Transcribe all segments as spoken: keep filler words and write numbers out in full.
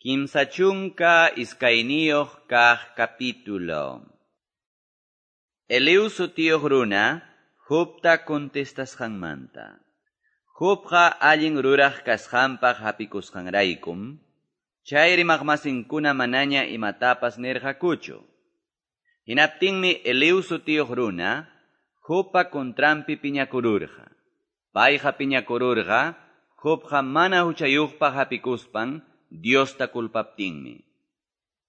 Kimsa chunka iskayniyuq kaq capítulo. Eliú sutiyuq runa Jobta contestasqanmanta. Jobqa allin ruraq kasqanpaq hapikusqanraykum, chay rimaqmasinkuna manaña imatapas nirqakuchu. Hinaptinmi Eliú sutiyuq runa Jobpa contranpi piñakururqa. Payqa piñakururqa Jobqa mana huchayuqpaq hapikuspan Diosta culpaptinmi.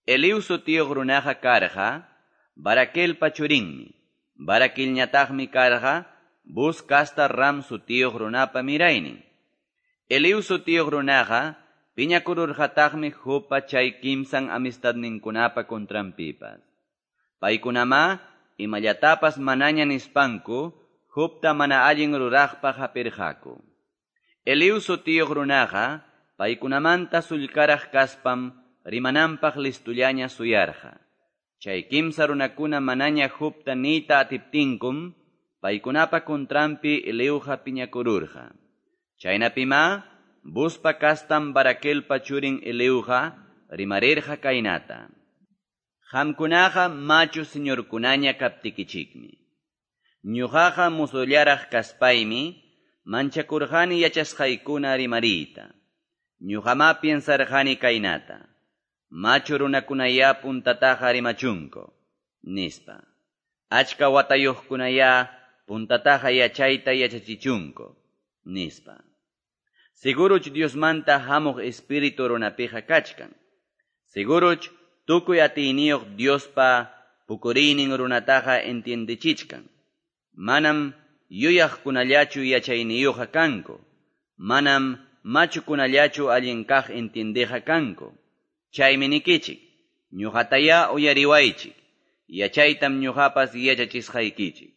Eliú sutiyuq runaqa karqa Barakelpa churinmi. Barakelñataqmi karqa Buz kasta Ram sutiyuq runapa miraynin. Eliú sutiyuq runaqa piñakururqataqmi Jobpa chay kimsan amistadninkunapa contranpipas. Paykunamá imallatapas manaña nispanku Jobta mana allin ruraqpaq hapirqaku. Eliú sutiyuq runaqa paykunamanta sullkaraq kaspam rimananpaq listullaña suyarqa. Chay kimsa runakuna manaña Jobta niyta atiptinkum, paykunapa contranpi Eliuqa piñakururqa. Chaynapimá, Buzpa kastan Barakelpa churin Eliuqa rimarirqa kaynata. Qamkunaqa machu señorkunaña kaptikichikmi. Ñuqaqa mozollaraq kaspaymi, manchakurqani yachasqaykuna rimariyta. Ñuqamá piensarqani kaynata. Machu runakunayá puntataqa rimachunku, nispa. Achka watayuqkunayá puntataqa yachayta yachachichunku, nispa. Seguruch Diosmanta hamuq espíritu runapiqa kachkan. Seguruch tukuy atiyniyuq Diospa pukuriynin runataqa entiendechichkan. Manam yuyaqkunallachu yachayniyuqqa kanku. Manam machukunallachu allin kaq entiendeqa kanku. Chaymi nikichik, ñuqatayá uyariwaychik, yachaytam ñuqapas yachachisqaykichik.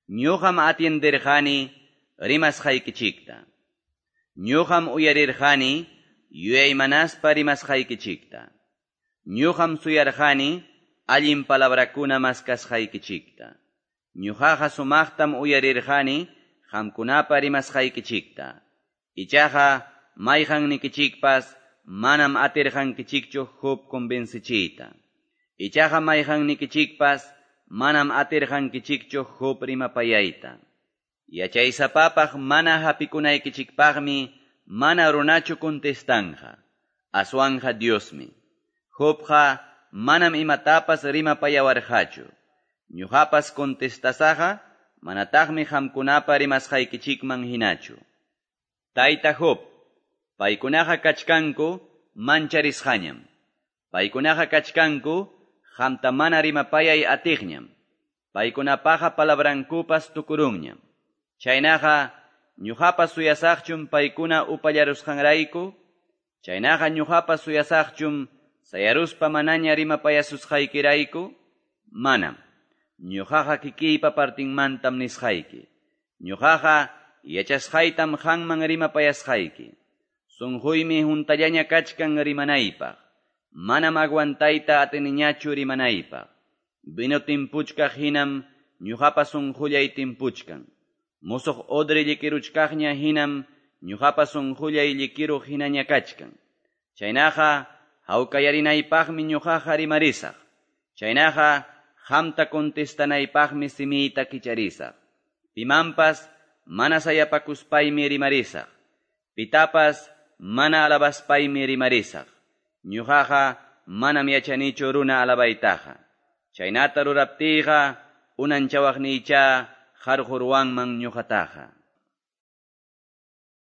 Ñuqam atienderqani rimasqaykichikta. Ñuqam uyarirqani yuyaymanaspa rimasqaykichikta. Ñuqam suyarqani allin palabrakuna maskasqaykichikta. Ñuqaqa sumaqtam uyarirqani qamkunapa rimasqaykichikta. Ichaqa mayqannikichikpas manam atirqankichikchu Job convencichiyta. Ichaqa mayqannikichikpas manam atirqankichikchu Job rimapayayta. Yachaysapapaq mana hapikunaykichikpaqmi mana runachu contestanqa, aswanqa Diosmi. Jobqa manam imatapas rimapayawarqachu. Ñuqapas contestasaqa manataqmi qamkunapa rimasqaykichikman hinachu. Tayta Job, paykunaqa kachkanku mancharisqañam. Paykunaqa kachkanku qamta mana rimapayay atiqñam. Paykunapaqa palabrankupas tukurunñam. Chaynaqa ñuqapas suyasaqchum paykuna upallarusqanrayku. Chaynaqa ñuqapas suyasaqchum sayaruspa manaña rimapayasusqaykirayku. Manam. Ñuqaqa kikiypa partinmantam nisqayki. Ñuqaqa yachasqaytam qanman rimapayasqayki. Sunquymi huntallaña kachkan rimanaypaq. Manam aguantayta atiniñachu rimanaypaq. Vino timpuchkaq hinam ñuqapa sunqullay timpuchkan. Musuq odre llikiruchkaqña hinam ñuqapa sunqullay llikiruq hinaña kachkan. Chaynaqa hawkayarinaypaqmi ñuqaqa rimarisaq. Chaynaqa qamta contestanaypaqmi simiyta kicharisaq. Pimanpas mana sayapakuspaymi rimarisaq. Pitapas mana alabaspaymi rimarisaq. Ñuqaqa manam yachanichu runa alabaytaqa. Chaynata ruraptiyqa unanchawaqniycha qarqurwanman ñuqataqa.